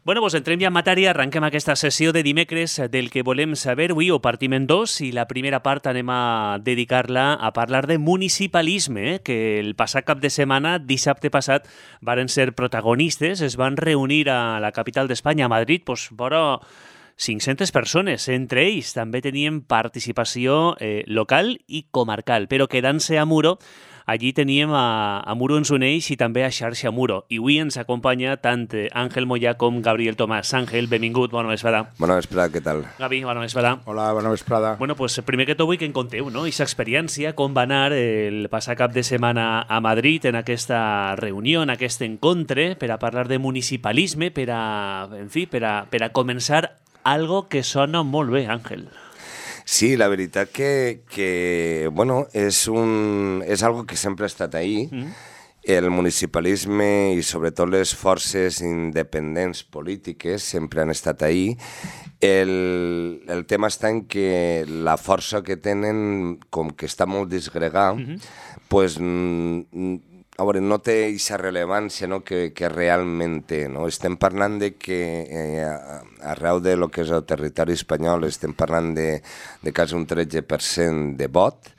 Bueno, doncs entrem ja en matèria, arrenquem aquesta sessió de dimecres del que volem saber. Avui ho partim en dos i la primera part anem a dedicar-la a parlar de municipalisme, que el passat cap de setmana, dissabte passat, varen ser protagonistes, es van reunir a la capital d'Espanya, a Madrid, doncs, vora 500 persones. Entre ells també tenien participació local i comarcal, però quedant-se a Muro, allí teníem a Muro ens uneix i també a Xarxa Muro. I avui ens acompanya tant Àngel Mollà com Gabriel Tomàs. Àngel, benvingut, bona vesprada. Bona vesprada, què tal? Gavi, bona vesprada. Hola, bona vesprada. Bueno, pues primer que tot vull que en conteu, no? Aquesta experiència, com va anar el passat cap de setmana a Madrid en aquesta reunió, en aquest encontre, per a parlar de municipalisme, per a començar algo que sona molt bé, Àngel. Sí, la veritat que bueno, és algo que sempre ha estat ahí. El municipalisme i sobretot les forces independents polítiques sempre han estat ahí. El tema està en que la força que tenen, com que està molt disgregada, pues, a veure, no té aquesta rellevància, no, que realment té. No? Estem parlant de que arreu de lo que és el territori espanyol estem parlant de quasi un 13% de vot,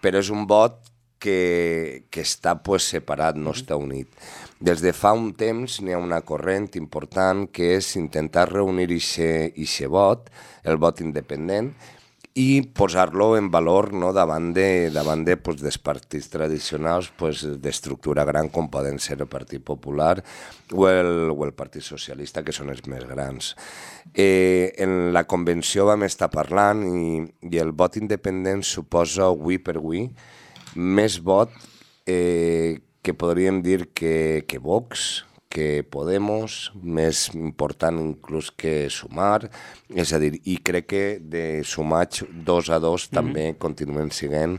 però és un vot que està pues, separat, no està unit. Des de fa un temps n'hi ha una corrent important que és intentar reunir aquest vot, el vot independent, i posar-lo en valor, no, davant de pues, dels partits tradicionals pues, d'estructura gran com poden ser el Partit Popular o el Partit Socialista, que són els més grans. En la convenció vam estar parlant i el vot independent suposa, avui per avui, més vot que podríem dir que Vox, que Podemos, més important inclús que Sumar, és a dir, i crec que de sumats 2 a 2 també continuen sent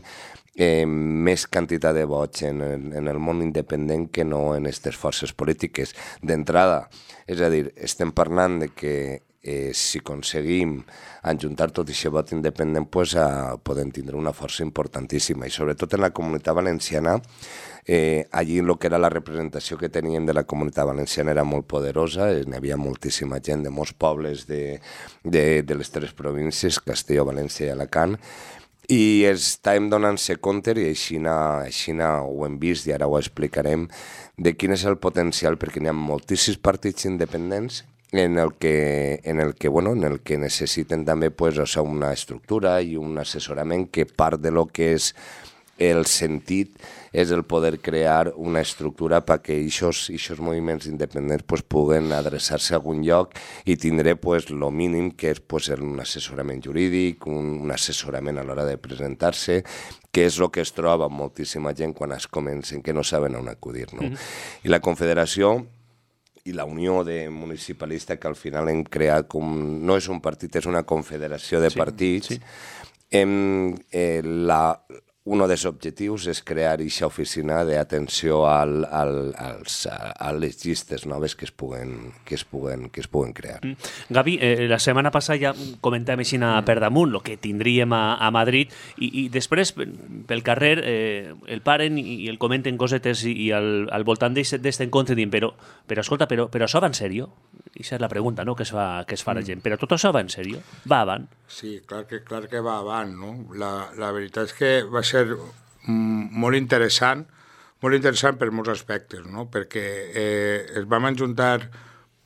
més quantitat de vots en el món independent que no en aquestes forces polítiques. D'entrada, és a dir, estem parlant de que si aconseguim ajuntar tot aquest vot independent, pues, podem tindre una força importantíssima. I sobretot en la Comunitat Valenciana, allí el que era la representació que teníem de la Comunitat Valenciana era molt poderosa, n'hi havia moltíssima gent de molts pobles de les 3 províncies, Castelló, València i Alacant, i estàvem donant-se compte, i així ho hem vist i ara ho explicarem, de quin és el potencial, perquè n'hi ha moltíssims partits independents en el que necessiten també pues, o sigui, una estructura i un assessorament que part de lo que és el sentit és el poder crear una estructura perquè aquests moviments independents pues, puguen adreçar-se a algun lloc i tindre pues, lo mínim que és pues, un assessorament jurídic, un assessorament a l'hora de presentar-se, que és el que es troba moltíssima gent quan es comencen, que no saben on acudir. No? I la Confederació i la Unió de Municipalista, que al final hem creat no és un partit, és una confederació de partits. Un dels objectius és crear aquesta oficina d'atenció a les llistes noves que es puguen crear. Gavi, la setmana passada ja comentàvem així per damunt el que tindríem a Madrid i després pel carrer el paren i el comenten cosetes i al voltant d'aquest encontre dient però escolta, però això va en sèrio? Aquesta és la pregunta, no?, que es fa la gent. Però tot això va en sèrio? Va avant? Sí, clar que va avant, no? La veritat és que va ser molt interessant per molts aspectes, no? Perquè es vam ajuntar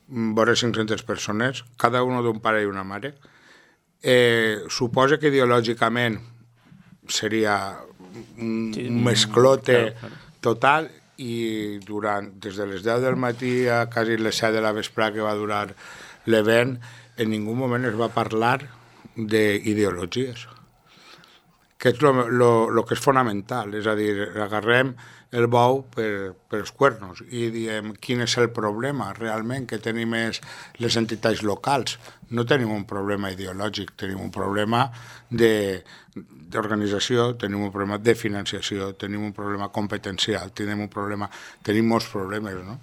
vora 500 persones, cada una d'un pare i una mare. Suposa que ideològicament seria un mesclote total, i des de les 10 del matí a quasi les 7 de la vesprada que va durar l'event, en ningú moment es va parlar d'ideologies, que és el que és fonamental. És a dir, agarrem el bou per els cuernos i diem quin és el problema realment que tenim les entitats locals. No tenim un problema ideològic, tenim un problema d'organització, tenim un problema de financiació, tenim un problema competencial, tenim molts problemes, no?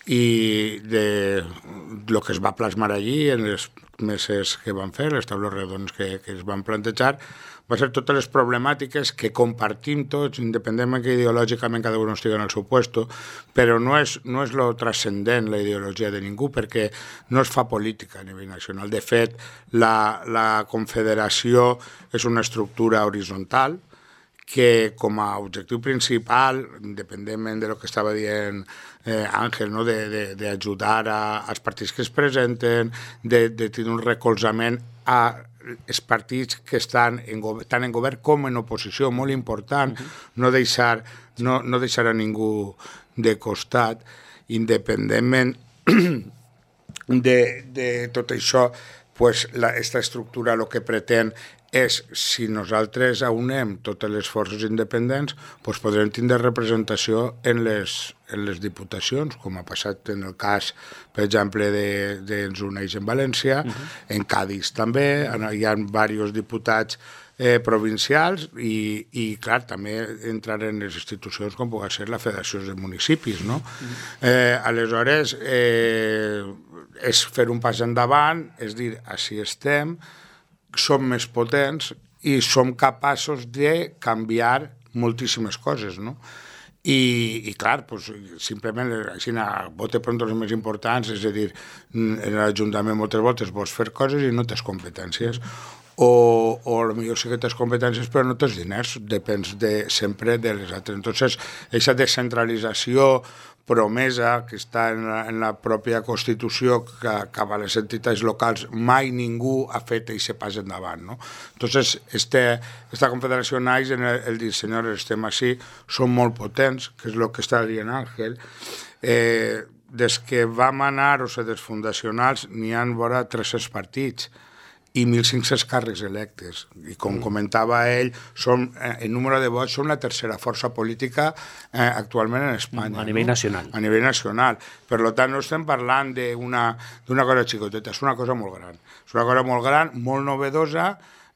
I el que es va plasmar allí en les meses que van fer, les taules redones que es van plantejar, va ser totes les problemàtiques que compartim tots, independentment que ideològicament cada un estigui en el seu puesto, però no és lo transcendent la ideologia de ningú, perquè no es fa política a nivell nacional. De fet, la confederació és una estructura horitzontal que com a objectiu principal, independentment de lo que estava dient Àngel, no? d'ajudar als partits que es presenten, de tenir un recolzament a els partits que estan tant en govern com en oposició, molt important, no deixar a ningú de costat, independentment de tot això, pues esta estructura el que pretén és, si nosaltres aunem totes les forces independents, pues podrem tindre representació en les diputacions, com ha passat en el cas, per exemple, dels Uneix en València, en Cádiz també, hi ha diversos diputats provincials i clar, també entrar en les institucions com pugui ser la Federació de Municipis, no? Aleshores, és fer un pas endavant, és dir, així estem, som més potents i som capaços de canviar moltíssimes coses, no? I clar, pues, simplement, així, vote pronto els més importants, és a dir, en l'Ajuntament moltes voltes vols fer coses i no tens competències, o potser sí que tens competències però no tens diners, depèn sempre de les altres. Entonces, aquesta descentralització promesa que està en la pròpia Constitució cap a les entitats locals, mai ningú ha fet aquest pas endavant, no? Entonces, esta confederació naix en el dir, senyores, estem així, som molt potents, que és el que està dient Àngel. Des que vam anar-nos a les fundacionals n'hi ha vora 300 partits i 1.500 càrrecs electes. I com comentava ell, en número de vots som la tercera força política actualment en Espanya. A nivell nacional. A nivell nacional. Per tant, no estem parlant d'una cosa xicoteta, és una cosa molt gran. És una cosa molt gran, molt novedosa,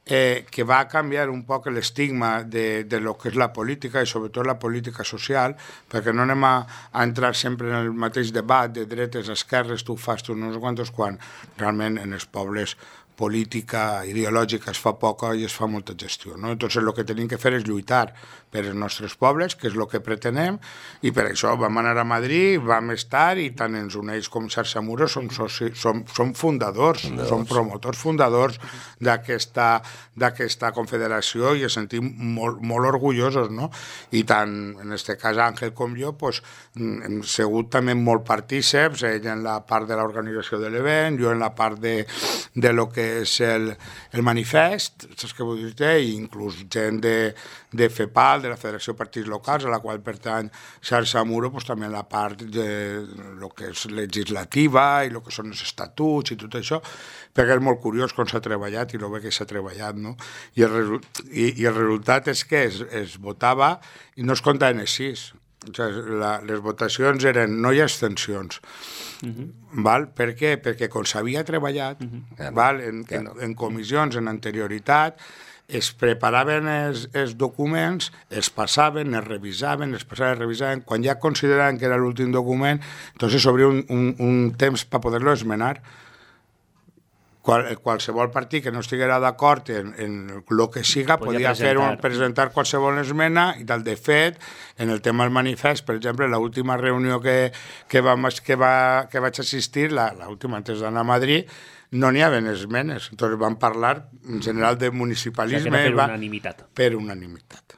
que va canviar un poc l'estigma de lo que és la política i sobretot la política social, perquè no anem a entrar sempre en el mateix debat de dretes, esquerres, tu fas, tu no sé quantos, quan realment en els pobles política ideològica es fa poca i es fa molta gestió, no? Entonces el que tenim que fer és lluitar per els nostres pobles, que és el que pretenem, i per això vam anar a Madrid, vam estar, i tant ens uneix com Xarxa Muro som fundadors, som promotors fundadors d'aquesta confederació i ens sentim molt orgullosos, no? I tant, en aquest cas, Àngel com jo, pues, hem sigut també molt partíceps, ell en la part de l'organització de l'event, jo en la part de lo que és el manifest, saps què vull dir-te? I inclús gent de FEPAL, de la Federació de Partits Locals, a la qual pertany Xarxa Muro, pues, també en la part de lo que és legislativa i el que són els estatuts i tot això, perquè és molt curiós com s'ha treballat i el bé que s'ha treballat, no? I el resultat és que es votava i no es comptaven els 6. O sigui, les votacions eren no hi ha abstencions. Val? Per què? Perquè com s'havia treballat val? En comissions, en anterioritat, es preparaven els documents, els passaven, els revisaven, quan ja consideraven que era l'últim document, entonces s'obria un temps per poder-lo esmenar. Qualsevol partit que no estiguera d'acord en el que siga podia presentar qualsevol esmena i tal. De fet, en el tema del manifest, per exemple, l'última reunió que vaig assistir, l'última antes d'anar a Madrid, no n'hi havia esmenes. Entonces vam parlar en general de municipalisme. O sigui, per unanimitat. Per unanimitat.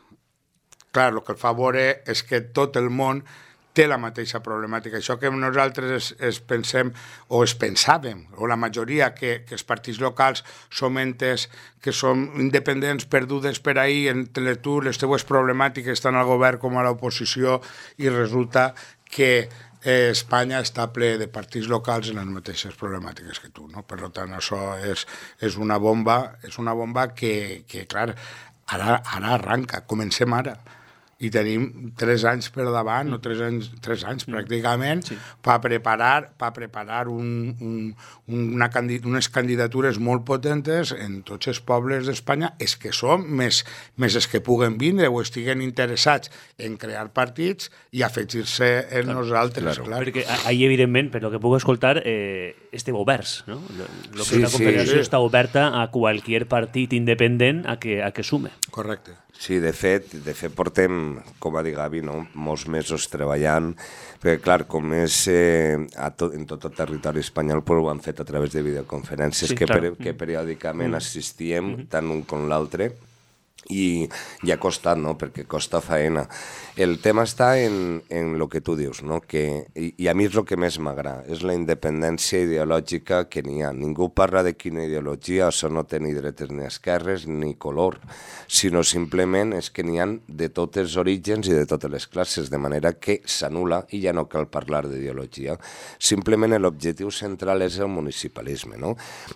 Clar, el que el fa veure és que tot el món té la mateixa problemàtica. Això que nosaltres es pensàvem, o la majoria, que els partits locals som entes que som independents, perdudes per ahí, entre les teues problemàtiques, tant al govern com a l'oposició, i resulta que Espanya està ple de partits locals en les mateixes problemàtiques que tu, no? Per tant, això és una bomba que clar, ara arranca, comencem ara. i tenim 3 anys per davant, o 3 anys pràcticament, per preparar unes candidatures molt potentes en tots els pobles d'Espanya, els que som, més els que puguen vindre o estiguen interessats en crear partits i afegir-se en nosaltres. Clar. Perquè ahir, evidentment, per el que puc escoltar, esteu oberts, no? Lo que la Confederació està oberta a qualsevol partit independent a que sume. Correcte. Sí, de fet portem, com va dir Gavi, no? Molts mesos treballant, perquè clar, com és en tot el territori espanyol, però ho han fet a través de videoconferències que periòdicament assistíem, tant un com l'altre, i ha costat, no? Perquè costa faena. El tema està en el que tu dius, no? I a mi és el que més m'agrada, és la independència ideològica que n'hi ha. Ningú parla de quina ideologia, això no té ni dretes ni esquerres ni color, sinó simplement és que n'hi ha de tots els orígens i de totes les classes, de manera que s'anul·la i ja no cal parlar d'ideologia. Simplement l'objectiu central és el municipalisme, no?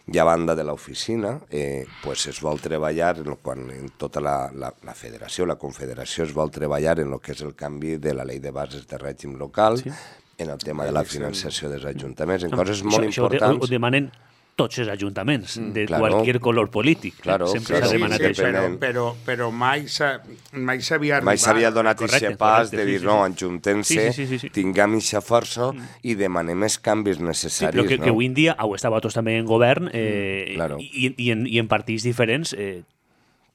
I a banda de l'oficina, es vol treballar quan en tota la federació, la confederació es vol treballar en el que és el canvi de la llei de bases de règim local, en el tema de la financiació dels ajuntaments, en coses molt importants. Això ho demanen tots els ajuntaments, de qualsevol color polític. Sempre s'ha demanat això. Però mai s'havia arribat. Mai s'havia donat aquest pas de dir, no, ajuntem-se, tinguem aquesta força i demanem els canvis necessaris. Però que avui en dia heu estat vosaltres també en govern i en partits diferents.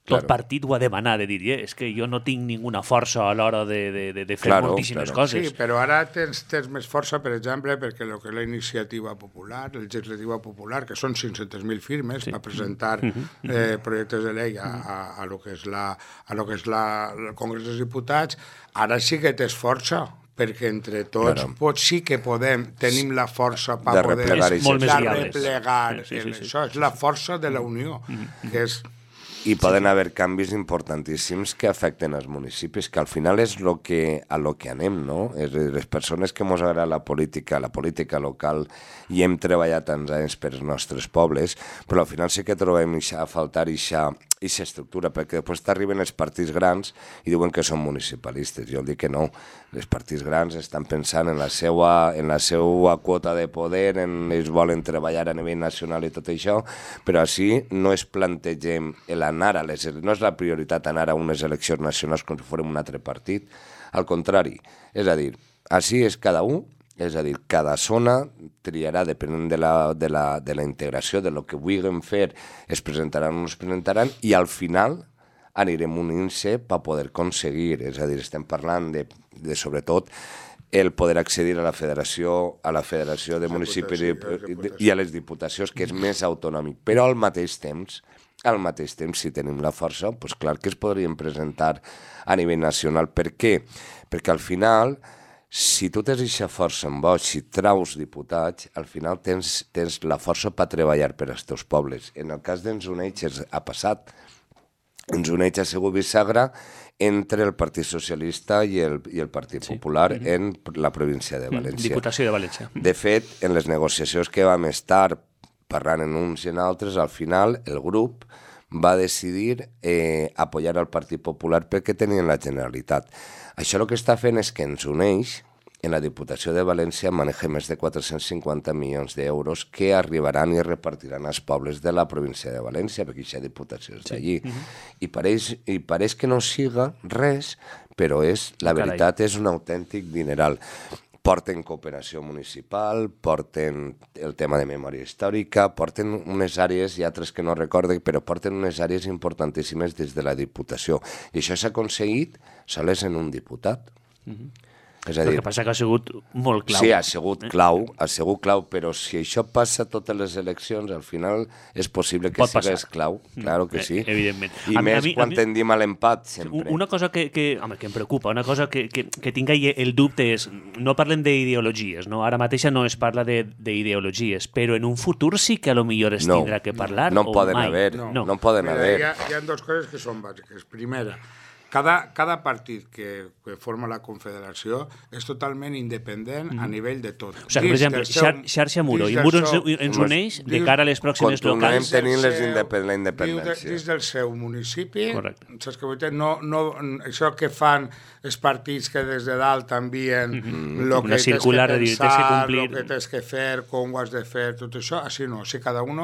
Tot partit ho ha demanat, de dir, és que jo no tinc ninguna força a l'hora de fer moltíssimes coses. Sí, però ara tens més força, per exemple, perquè el que és la iniciativa popular, la legislativa popular, que són 500.000 firmes per presentar projectes de llei a lo que és el Congrés dels Diputats, ara sí que tens força, perquè entre tots sí que tenim la força per poder replegar. Això és la força de la Unió, que és... I poden haver canvis importantíssims que afecten els municipis, que al final és a lo que anem, no? Les persones que ens agrada la política local, i hem treballat tants anys per als nostres pobles, però al final sí que trobem a faltar aquesta estructura, perquè després t'arriben els partits grans i diuen que són municipalistes. Jo dic que no. Els partits grans estan pensant en la seva quota de poder, ells volen treballar a nivell nacional i tot això, però així no es plantegem no és la prioritat anar a unes eleccions nacionals com si fórem un altre partit. Al contrari, és a dir, així és cada un, és a dir, cada zona triarà, depenent de la integració, de lo que vulguem fer, es presentaran o no es presentaran, i al final anirem unint-se per poder aconseguir, és a dir, estem parlant de sobretot, el poder accedir a la federació de municipis i a les diputacions, que és més autonòmic, però al mateix temps, si tenim la força, doncs clar que es podrien presentar a nivell nacional. Per què? Perquè al final, si tu tens aquesta força en vots, si traus diputats, al final tens la força per treballar per als teus pobles. En el cas d'Enzuneix ha passat. Enzuneix ha sigut bisagra entre el Partit Socialista i el Partit Popular en la província de València. Diputació de València. De fet, en les negociacions que vam estar parlant en uns i en altres, al final el grup va decidir apoyar al Partit Popular perquè tenien la Generalitat. Això el que està fent és que ens uneix, en la Diputació de València maneja més de 450 milions d'euros que arribaran i repartiran als pobles de la província de València, perquè aquesta Diputació és d'allí. I pareix que no siga res, però la veritat és un autèntic dineral. Porten cooperació municipal, porten el tema de memòria històrica, porten unes àrees, i altres que no recorde, però porten unes àrees importantíssimes des de la Diputació. I això s'ha aconseguit sols en un diputat. És a dir, el que passa que ha sigut molt clau. Sí, ha sigut clau, però si això passa a totes les eleccions, al final és possible que sigués clau, claro que sí. Evidentment. I més quan tendim a l'empat, sempre. Una cosa que em preocupa, una cosa que tinc ahí el dubte és, no parlem d'ideologies, no? Ara mateixa no es parla d'ideologies, però en un futur sí que a lo millor es tindrà que parlar, no o poden mai. Haver. No poden haver. Hi ha dues coses que són bàsiques. Primera, cada partit que forma la Confederació és totalment independent a nivell de tot. O sigui, per exemple, xarxa Muro, i Muro ens uneix de cara a les pròximes locals. Tenint la independència. Dins del seu municipi, correcte. Saps què vull dir? Això que fan els partits que des de dalt t'envien el que tens que pensar, el que tens que fer, com ho has de fer, tot això, així no, si cada un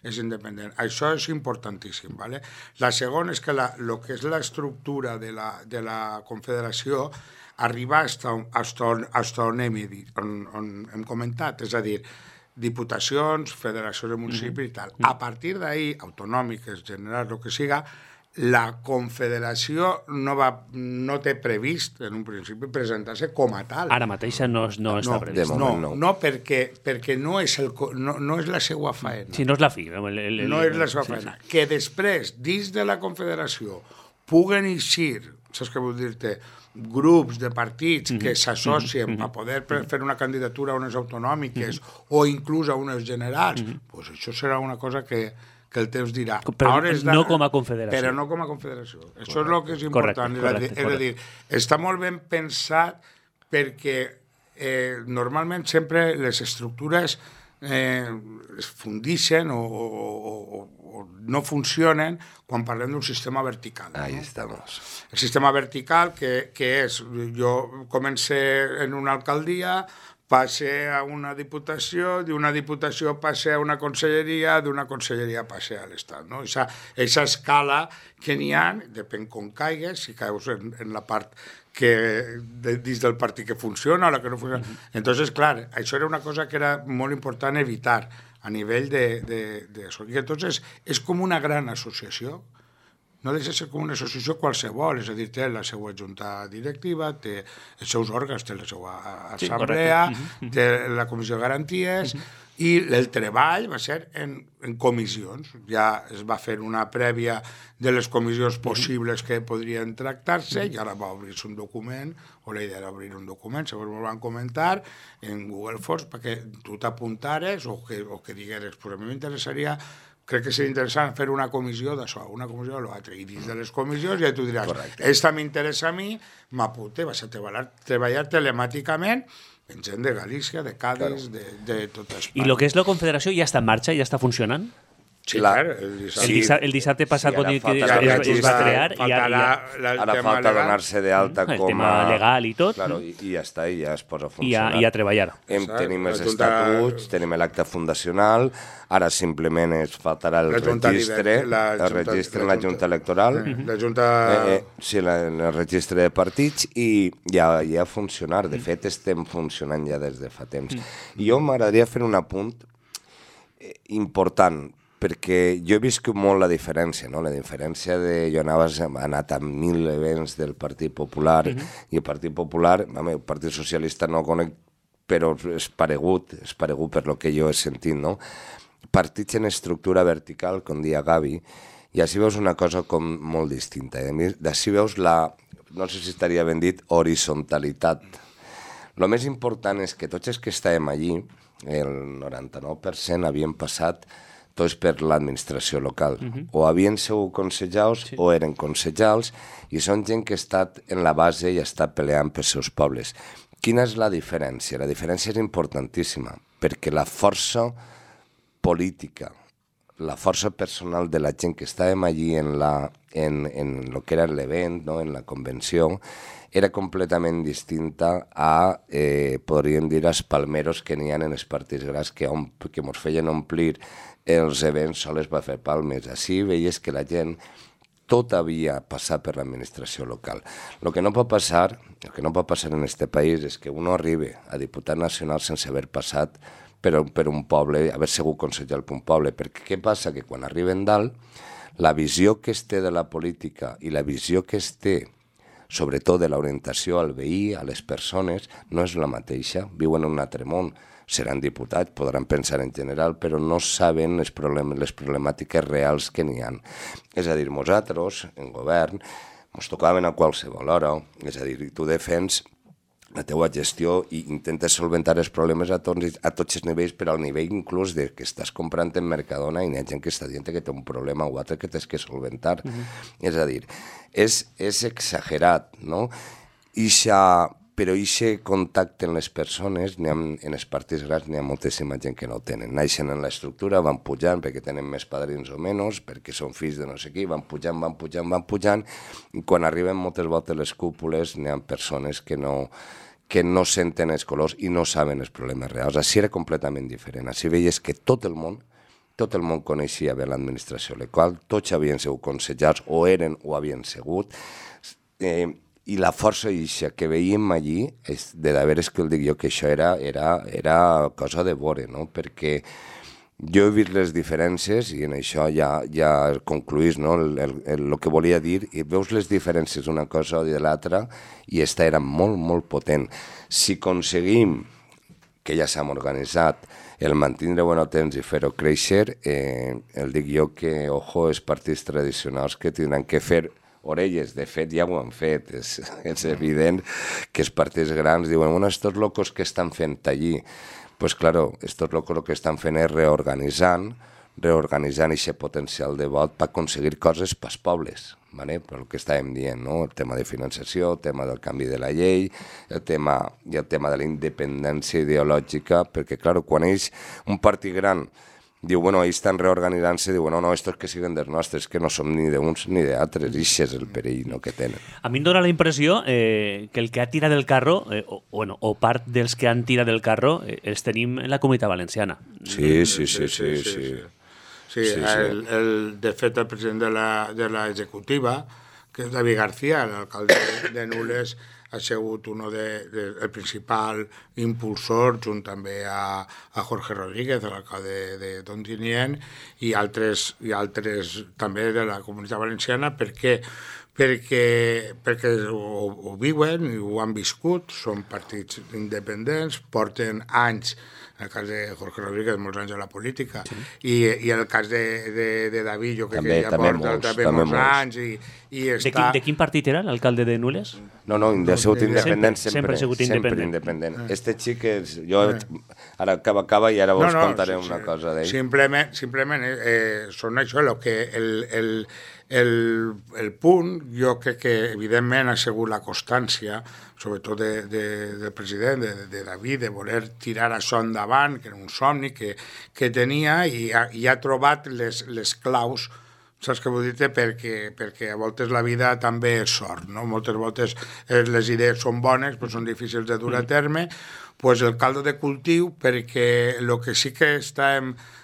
és independent. Això és importantíssim. ¿Vale? La segona és que el que és l'estructura de la Confederació arriba fins on hem comentat, és a dir, diputacions, federacions de municipis i tal. A partir d'ahí, autonòmiques, generals, el que siga, la Confederació no té previst, en un principi, presentar-se com a tal. Ara mateix no està previst. No, perquè no és la seva faena. Sí, no és la fi. No és la seva faena. Que després, dins de la Confederació, puguen eixir, saps què vull dir-te, grups de partits que s'associen a poder fer una candidatura a unes autonòmiques o inclús a unes generals, doncs això serà una cosa que el temps dirà. Però no com a confederació. Però no com a confederació. Això és el que és important. És a dir, està molt ben pensat perquè normalment sempre les estructures es fundixen o no funcionen quan parlem d'un sistema vertical. Ahí estamos. El sistema vertical que és, jo comencé en una alcaldia, passe a una diputació, d'una diputació passe a una conselleria, d'una conselleria passe a l'Estat. No? Eixa escala que n'hi ha, depèn com caigues, si caus en la part dins del partit que funciona o la que no funciona. Entonces, clar, això era una cosa que era molt important evitar a nivell d'això. I entonces és com una gran associació. No deixa de ser com una associació qualsevol, és a dir, té la seva junta directiva, té els seus òrgans, té la seva assemblea, té la comissió de garanties, i el treball va ser en comissions. Ja es va fer una prèvia de les comissions possibles que podrien tractar-se, i ara va obrir-se un document, o la idea era obrir un document, segons m'ho van comentar, en Google Forms, perquè tu t'apuntares o que digueres, pues a mi m'interessaria, crec que seria interessant fer una comissió d'això, una comissió de l'altre, i dins de les comissions ja tu diràs, esta m'interessa a mi, m'apunte, vas a treballar telemàticament amb gent de Galícia, de Cádiz, de tota Espanya. I el que és la Confederació ja està en marxa, ja està funcionant? Sí, clar. El dissabte passat quan es va crear... Ara falta donar-se d'alta com a... El tema legal i tot. I ja està, i ja es posa a funcionar. I a treballar. Tenim els estatuts, tenim l'acte fundacional, ara simplement es faltarà el registre en la Junta Electoral, sí, el registre de partits, i ja a funcionar. De fet, estem funcionant ja des de fa temps. I jo m'agradaria fer un apunt important, perquè jo he viscut molt la diferència, no? La diferència de... Jo he anat a 1.000 events del Partit Popular, i el Partit Popular, el Partit Socialista no conec, però és paregut per lo que jo he sentit, no? Partits en estructura vertical, com dia Gavi, i així veus una cosa com molt distinta. D'ací veus no sé si estaria ben dit, horizontalitat. El més important és que tots els que estàvem allí, el 99% havien passat tots per l'administració local. O havien sigut consellers o eren consellers, i són gent que ha estat en la base i ha estat peleant pels seus pobles. Quina és la diferència? La diferència és importantíssima, perquè la força política, la força personal de la gent que estàvem allí en lo que era l'event, no? En la convenció, era completament distinta a, podríem dir, els palmeros que n'hi ha en els partits grans que ens feien omplir els events sols va fer palmes. Així veies que la gent tot havia passat per l'administració local. El que no pot passar en aquest país és que un arribi a diputat nacional sense haver passat per un poble, haver sigut conseller per un poble, perquè què passa? Que quan arriben dalt, la visió que es té de la política i la visió que es té sobretot de l'orientació al veí, a les persones, no és la mateixa. Viuen en un altre món. Seran diputats, podran pensar en general, però no saben les problemàtiques reals que n'hi ha. És a dir, nosaltres, en govern, ens tocaven a qualsevol hora, és a dir, tu defens la teua gestió i intentes solventar els problemes a tots els nivells, però al nivell inclús de que estàs comprant en Mercadona i hi ha gent que està dient que té un problema o altre que tens que solventar. És a dir, és exagerat, no? Però aquest contacte amb les persones, en els partits grans n'hi ha moltíssima gent que no tenen. Naixen en l'estructura, van pujant perquè tenen més padrins o menys, perquè són fills de no sé qui, van pujant, i quan arriben moltes voltes les cúpules n'hi ha persones que no senten els colors i no saben els problemes reals. Així era completament diferent. Així veies que tot el món coneixia bé l'administració, la qual tots havien sigut consellers o eren o havien sigut, i la força ixa que veiem allí, de veres que el dic jo, que això era cosa de veure, no? Perquè jo he vist les diferències, i en això ja concluís, no? El que volia dir, i veus les diferències d'una cosa o de l'altra, i esta era molt, molt potent. Si aconseguim, que ja s'hem organitzat, el mantindre bon temps i fer-ho créixer, el dic jo que, ojo, els partits tradicionals que tindran que fer orelles, de fet ja ho han fet, és evident que els partits grans diuen, bueno, estos locos que estan fent allí, pues claro, estos locos lo que estan fent és reorganitzant aquest potencial de vot per aconseguir coses pels pobles, ¿vale? Per el que estàvem dient, no? El tema de financiació, el tema del canvi de la llei, el tema de la independència ideològica, perquè, claro, quan ells, un partit gran, diu, bueno, ells estan reorganitzant-se, diu, no, estos que siguen dels nostres, que no som ni d'uns ni d'altres, i això és el perill, no, que tenen. A mi em dóna la impressió que el que ha tirat del carro, o part dels que han tirat del carro, els tenim en la Comunitat Valenciana. Sí. De fet, el president de l'executiva, que és David García, l'alcalde de Nules, ha sigut el principal impulsor, junt també a Jorge Rodríguez, l'alcalde de Ontinyent, i altres també de la Comunitat Valenciana, perquè ho viuen i ho han viscut, són partits independents, porten anys, en el cas de Jorge Rodríguez, molts anys a la política, sí. i en el cas de David, jo crec que ja porta també molts anys, i està... De quin partit era l'alcalde de Nules? No, ha sigut independent sempre. Sempre ha sigut independent. Este xic, jo ara acaba i ara vos contaré una cosa d'ell. Simplement són això, el punt, jo crec que evidentment ha sigut la constància, sobretot del president, de David, de voler tirar això endavant, que era un somni que tenia, i ha trobat les claus, saps què vull dir-te? Perquè a voltes la vida també és sort, no? Moltes voltes les idees són bones, però són difícils de dur a terme, doncs el caldo de cultiu, perquè el que sí que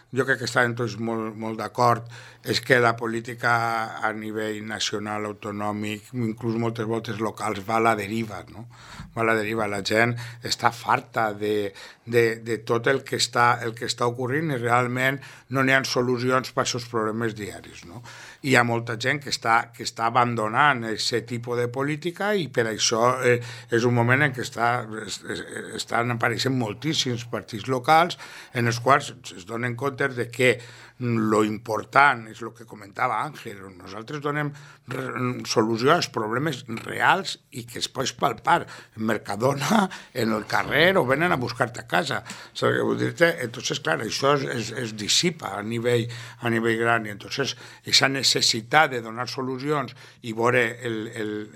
jo crec que estàvem tots molt d'acord, és que la política a nivell nacional, autonòmic, inclús moltes voltes locals, va a la deriva, no? Va a la deriva. La gent està farta de tot el que està ocorrint i realment no n'hi ha solucions per als seus problemes diaris, no? Hi ha molta gent que està abandonant aquest tipus de política, i per això és un moment en què estan apareixent moltíssims partits locals en els quals es donen compte de que lo important és el que comentava Àngel, nosaltres donem solució als problemes reals i que es pots palpar en Mercadona, en el carrer, o venen a buscar-te a casa. Saps què vull dir-te? Entonces, clar, això es dissipa a nivell gran, i entonces aquesta necessitat de donar solucions i veure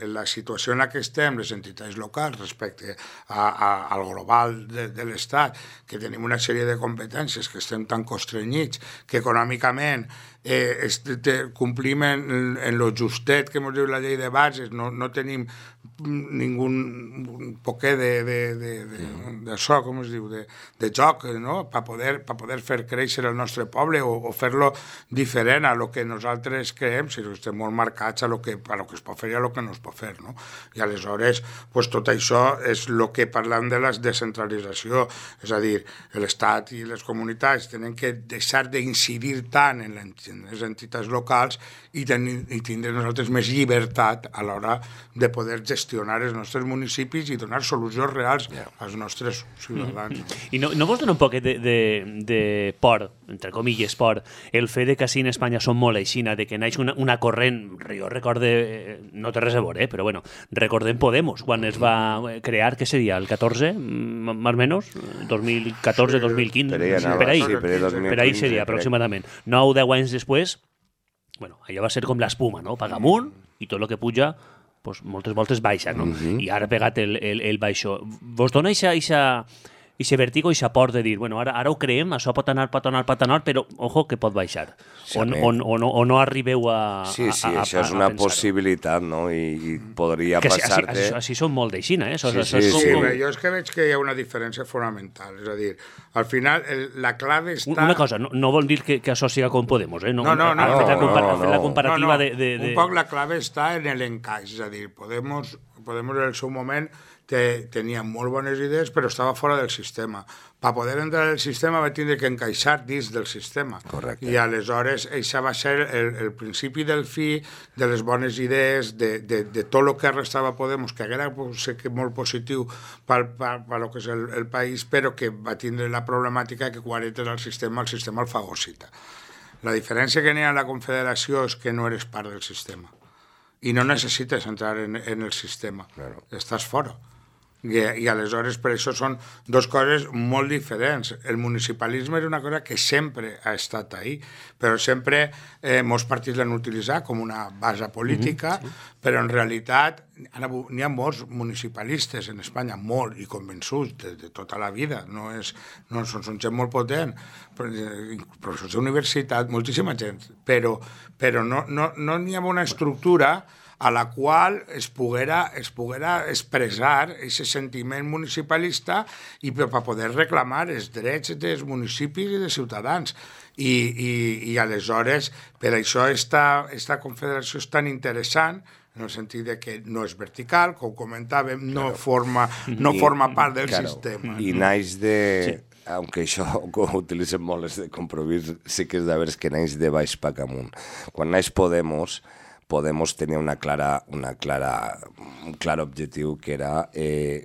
la situació en la que estem, les entitats locals respecte al global de l'Estat, que tenim una sèrie de competències, que estem tan constrenyits, que econòmicament complim en lo justet que ens diu la llei de bases, no tenim ningú poquet d'això, com es diu, de joc, no? Per poder fer créixer el nostre poble o fer-lo diferent a lo que nosaltres creiem, si estem molt marcats a lo que es pot fer i a lo que no es pot fer, no? I aleshores, pues, tot això és el que parlem de la descentralització, és a dir, l'Estat i les comunitats tenen que deixar d'incidir tant en les entitats locals i tindre nosaltres més llibertat a l'hora de poder gestionar gestionar els nostres municipis i donar solucions reals als nostres ciutadans. I no vols donar un poquet de por, entre comilles, por, el fet de que així en Espanya som molt aixina, de que naix una corrent, jo recorde, no té res a veure, però bueno, recordem Podemos, quan es va crear, què seria, el 14, més o menys, 2014, 2015, per ahí seria aproximadament. 9-10 anys després, bueno, allò va ser com l'espuma, no? Paga amunt i tot el que puja pues, moltes voltes baixa, no? I ara ha pegat el baixó. Vos dona eixe vertigo, eixa por de dir, bueno, ara ho creem, això pot anar, però ojo que pot baixar. O no arribeu a Sí, això és una possibilitat, no? I podria passar-te... Així són molt d'eixina, eh? Sí, jo és que veig que hi ha una diferència fonamental. És a dir, al final, la clave està... Una cosa, no vol dir que això siga com Podemos, eh? No. La comparativa de... Un poc la clave està en l'encaix, és a dir, Podemos en el seu moment tenia molt bones idees, però estava fora del sistema. Per poder entrar al sistema va tindre que encaixar dins del sistema. Correcte. I aleshores això va ser el principi del fi de les bones idees, de tot el que restava Podemos, que era molt positiu per lo que és el país, però que va tindre la problemàtica que quan entres al sistema, el sistema el fagocita. La diferència que n'hi ha en la Confederació és que no eres part del sistema. I no necessites entrar en el sistema. Claro. Estàs fora. I aleshores per això són dues coses molt diferents. El municipalisme és una cosa que sempre ha estat ahí, però sempre molts partits l'han utilitzat com una base política, però en realitat n'hi ha molts municipalistes en Espanya, molt, i convençuts de tota la vida. Són gent molt potent, professors d'universitat, moltíssima gent, però no n'hi ha una estructura a la qual es poguera expressar aquest sentiment municipalista i per poder reclamar els drets dels municipis i dels ciutadans. I aleshores, per això esta confederació és tan interessant, en el sentit de que no és vertical, com comentàvem, no forma part del sistema. I naix de... Aunque això ho utilitzen molt de compromís, sí que és de veres que naix de baix cap amunt. Quan naix Podemos tenia un clar objectiu que era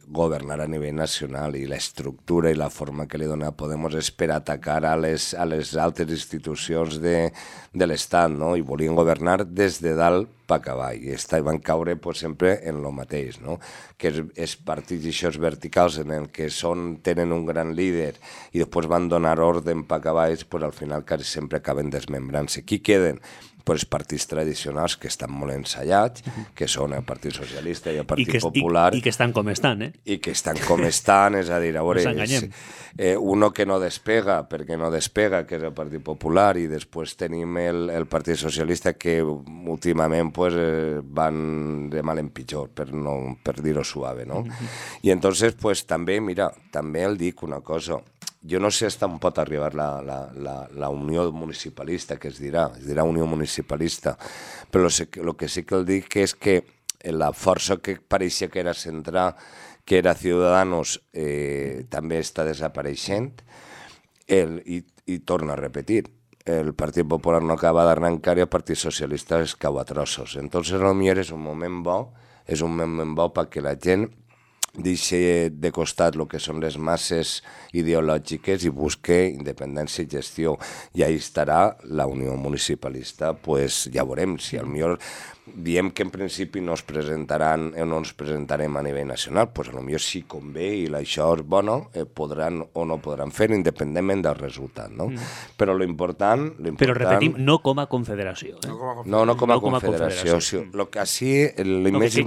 governar a nivell nacional, i l'estructura i la forma que li dona Podemos és per atacar a les altres institucions de l'Estat, no? I volien governar des de dalt cap avall, i van caure sempre en el mateix, no? Que és partits així verticals en el que tenen un gran líder i després van donar ordre cap avall, al final quasi sempre acaben desmembrant-se. Qui queden? Els partits tradicionals que estan molt ensaiats, que són el Partit Socialista i el Partit Popular. I que estan com estan, eh? I que estan com estan, és a dir, a veure, uno que no despega, perquè no despega, que és el Partit Popular, i després tenim el Partit Socialista, que últimament van de mal en pitjor, per dir-ho suave, no? I entonces, també, mira, també el dic una cosa, jo no sé on pot arribar la unió municipalista, que es dirà unió municipalista, però el que sí que el dic és que la força que pareixia que era central, que era Ciudadanos, també està desapareixent, i torno a repetir, el Partit Popular no acaba d'anar encara i el Partit Socialista es cau a trossos. Entonces, potser és un moment bo perquè la gent deixi de costat el que són les masses ideològiques i busque independència i gestió. I ahí estarà la Unió Municipalista, ja veurem si potser diem que en principi no ens presentarem a nivell nacional, potser si convé i això és bona, podran o no podran fer independentment del resultat, no? Però l'important... Però repetim, no com a confederació. No com a confederació.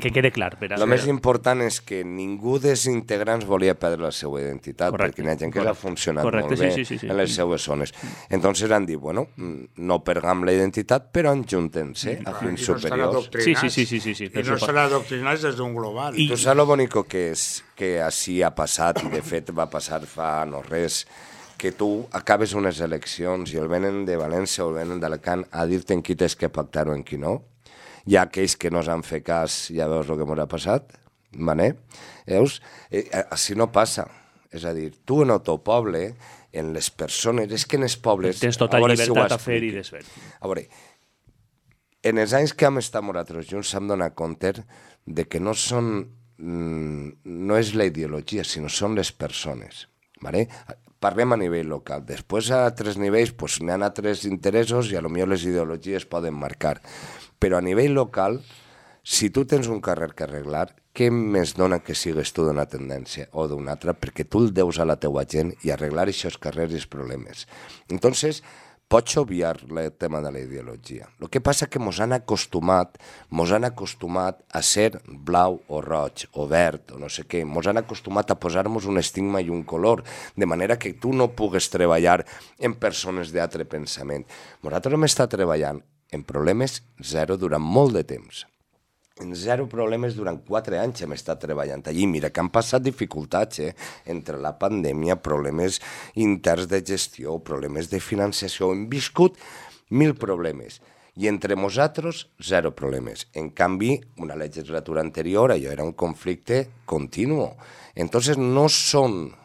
Que quede clar. El més important és que ningú dels integrants volia perdre la seva identitat, perquè hi ha gent que ha funcionat molt bé en les seues zones. Entonces han dit, bueno, no perdam la identitat, però enjunten-se a fins superiors. Sí. I no estan adoctrinats des d'un global. I tu saps lo bonico que és que així ha passat, i de fet va passar fa no res, que tu acabes unes eleccions i el venen de València o el venen d'Alacant a dir-te en qui tens que pactar o en qui no. Hi ha aquells que no s'han fet cas, ja veus el que ens ha passat, veus? Així no passa. És a dir, tu en el teu poble, en les persones, és que en els pobles... Tens tota llibertat a fer i desfer. A veure, En els anys que hem estat nosaltres junts s'hem donat compte de que no és la ideologia, sinó són les persones. ¿Vale? Parlem a nivell local. Després, a altres nivells, pues, n'hi ha altres interessos i potser les ideologies poden marcar. Però a nivell local, si tu tens un carrer que arreglar, què més dona que sigues tu d'una tendència o d'una altra? Perquè tu el deus a la teua gent i arreglar aquests carrers i els problemes. Entonces, pots obviar el tema de la ideologia. El que passa que mos han acostumat a ser blau o roig o verd o no sé què. Mos han acostumat a posar-nos un estigma i un color, de manera que tu no pugues treballar en persones d'altre pensament. Nosaltres hem estat treballant en problemes zero durant molt de temps. En zero problemes durant 4 anys hem estat treballant allí. Mira que han passat dificultats, entre la pandèmia, problemes interns de gestió, problemes de financiació. Hem viscut 1000 problemes. I entre nosaltres, zero problemes. En canvi, una legislatura anterior, allò era un conflicte continu. Entonces, no són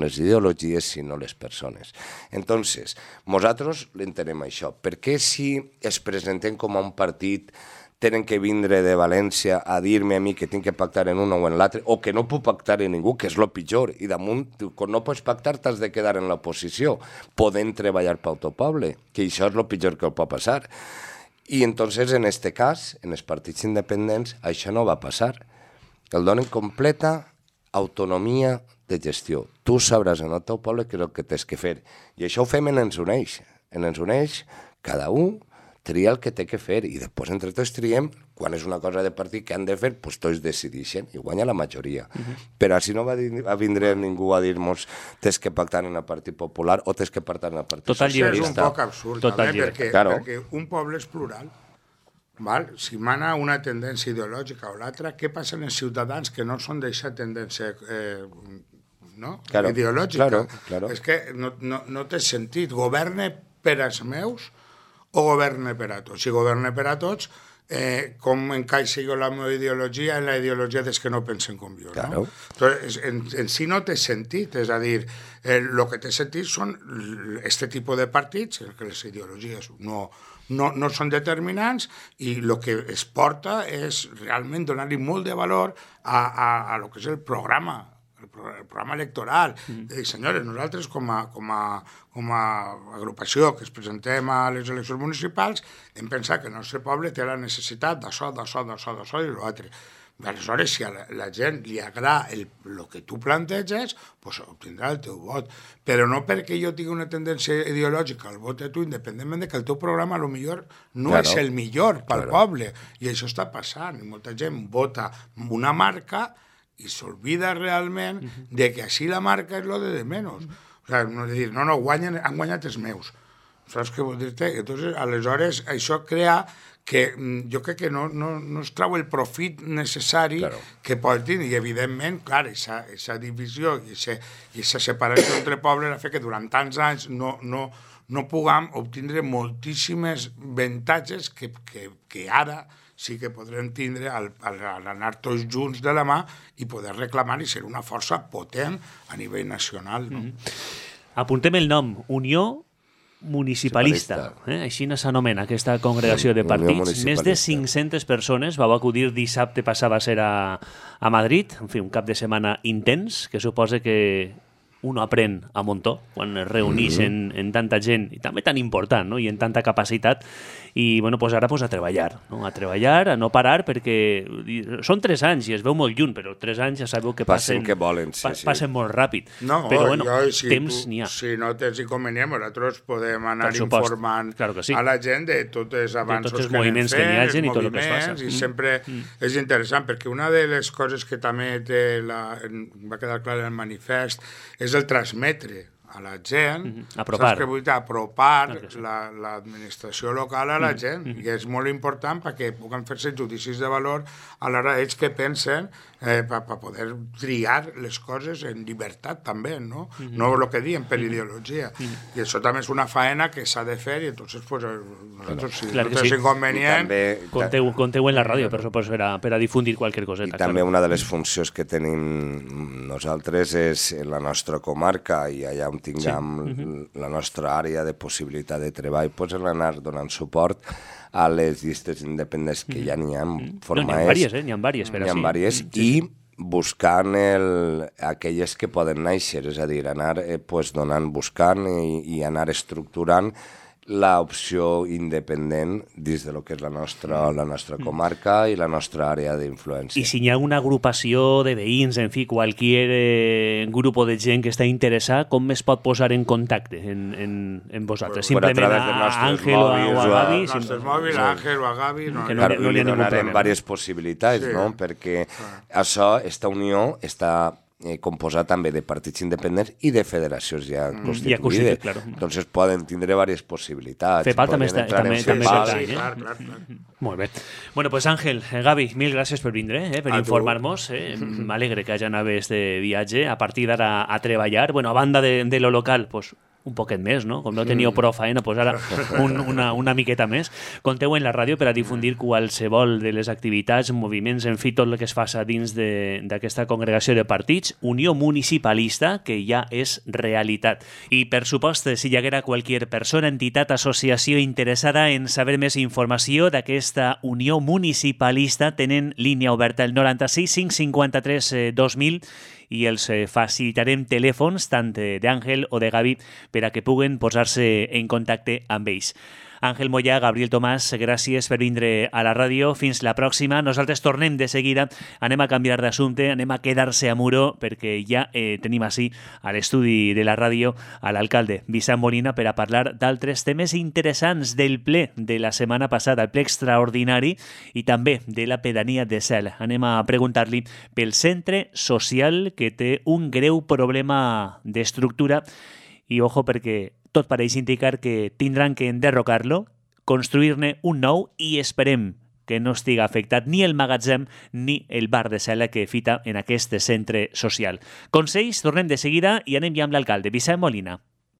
les ideologies, sinó les persones. Entonces, nosaltres l'entenem això. Per què si es presenten com a un partit tenen que vindre de València a dir-me a mi que tinc que pactar en un o en l'altre, o que no puc pactar en ningú, que és el pitjor, i damunt, quan no pots pactar, t'has de quedar en l'oposició. Podem treballar pel teu poble, que això és el pitjor que pot passar. I entonces, en este cas, en els partits independents, això no va passar. El donen completa autonomia de gestió. Tu sabràs en el teu poble què és el que tens que fer. I això ho fem en Ens Uneix. En Ens Uneix, cada un tria el que té que fer i després entre tots triem, quan és una cosa de partit que han de fer, doncs tots decideixen i guanya la majoria. Però així no va vindre ningú a dir-nos tens que pactar en el Partit Popular o tens que pactar en el Partit Socialista. És un poc absurd, també, perquè un poble és plural. Val? Si mana una tendència ideològica o l'altra, què passa amb els ciutadans que no són d'aquesta tendència ideològica? Claro. És que no té sentit. Governe per als meus o governe per a tots. Si governe per a tots, com encaixa jo la meva ideologia en la ideologia dels que no pensen com jo. Claro. No? Entonces, en si no té sentit, és a dir, el que té sentit són aquest tipus de partits, en què les ideologies no són determinants i el que es porta és realment donar-li molt de valor a lo que és el programa electoral. Dir, senyores, nosaltres com a agrupació que es presentem a les eleccions municipals hem pensat que el nostre poble té la necessitat d'això i l'altre. Aleshores, si a la gent li agrada el que tu planteges, doncs obtindrà el teu vot. Però no perquè jo tingui una tendència ideològica al vot de tu, independentment de que el teu programa potser no és el millor pel poble. I això està passant. I molta gent vota una marca i s'olvida realment de que així la marca és lo de menys. O sigui, no dir, han guanyat els meus. Saps què vol dir-te? Entonces, aleshores, això crea que jo crec que no es trau el profit necessari que pot tenir. I, evidentment, clar, aquesta divisió i aquesta separació entre pobles ha fet que durant tants anys no puguem obtindre moltíssimes avantatges que ara sí que podrem tindre al anar tots junts de la mà i poder reclamar i ser una força potent a nivell nacional. No? Apuntem el nom, Unió Municipalista. Així s'anomena aquesta congregació de partits. Més de 500 persones vau acudir dissabte passat a ser a Madrid, en fi, un cap de setmana intens, que suposa que uno aprèn a muntó quan es reuneix en tanta gent i també tan important, no? I en tanta capacitat i bueno, pues ara pues a treballar, no? A treballar, a no parar, perquè són 3 anys i es veu molt lluny, però 3 anys ja sabeu que passen molt ràpid. No, però bueno, temps n'hi ha. Si no tens inconvenient, nosaltres podem anar informant a la gent de tots els avanços que anem fent, els moviments, i sempre és interessant, perquè una de les coses que també va quedar clar en el manifest és el transmetre a la gent, apropar l'administració local a la gent, i és molt important perquè puguin fer-se judicis de valor a l'hora ells que pensen per poder triar les coses en llibertat també, no? No el que diem per ideologia. I això també és una faena que s'ha de fer i entonces nosaltres si no tens inconvenient... Conteu en la ràdio, per suposo, per a difundir qualsevol coseta. I també una de les funcions que tenim nosaltres és en la nostra comarca i allà on quan tinguem la nostra àrea de possibilitat de treball, pues, anar donant suport a les llistes independents que ja n'hi ha formades. N'hi ha vàries, N'hi ha vàries, i buscant aquelles que poden néixer, és a dir, anar buscant i anar estructurant l'opció independent dins de lo que és la nostra comarca i la nostra àrea d'influència. I si hi ha una agrupació de veïns, en fi, qualsevol grup de gent que està interessat, com es pot posar en contacte en vosaltres? Simplement a Àngel o a Gavi? Els nostres mòbils, a Àngel o a Gavi. Li donarem diverses possibilitats, no? Perquè això, esta unió, està composat també de partits independents i de federacions ja constituïdes. Entonces poden tindre diverses possibilitats. FEPAL també està clar. Molt bé. Bueno, pues Àngel, Gavi, mil gràcies per vindre, per informar-nos. M'alegre que ja anaves de viatge. A partir d'ara a treballar. Bueno, a banda de lo local, pues un poquet més, no? Com no teníeu prou feina, doncs ara una miqueta més. Compteu en la ràdio per a difundir qualsevol de les activitats, moviments, en fi, tot el que es faça dins d'aquesta congregació de partits, Unió Municipalista, que ja és realitat. I, per supost, si hi haguera qualsevol persona, entitat, associació interessada en saber més informació d'aquesta Unió Municipalista, tenen línia oberta el 96 553 2000 i els facilitarem telèfons tant d'Àngel o de Gavi per a que puguen posar-se en contacte amb ells. Àngel Moya, Gabriel Tomàs, gràcies per vindre a la ràdio. Fins la pròxima. Nosaltres tornem de seguida. Anem a canviar d'assumpte, anem a quedar-se a Muro perquè ja tenim així a l'estudi de la ràdio a l'alcalde Vicent Molina per a parlar d'altres temes interessants del ple de la setmana passada, el ple extraordinari i també de la pedania de Cel. Anem a preguntar-li pel centre social que té un greu problema d'estructura i ojo perquè tot pareix indicar que tindran que enderrocar-lo, construir-ne un nou i esperem que no estiga afectat ni el magatzem ni el bar de Cel que fita en aquest centre social. Consells, tornem de seguida i anem ja amb l'alcalde, Vicent Molina.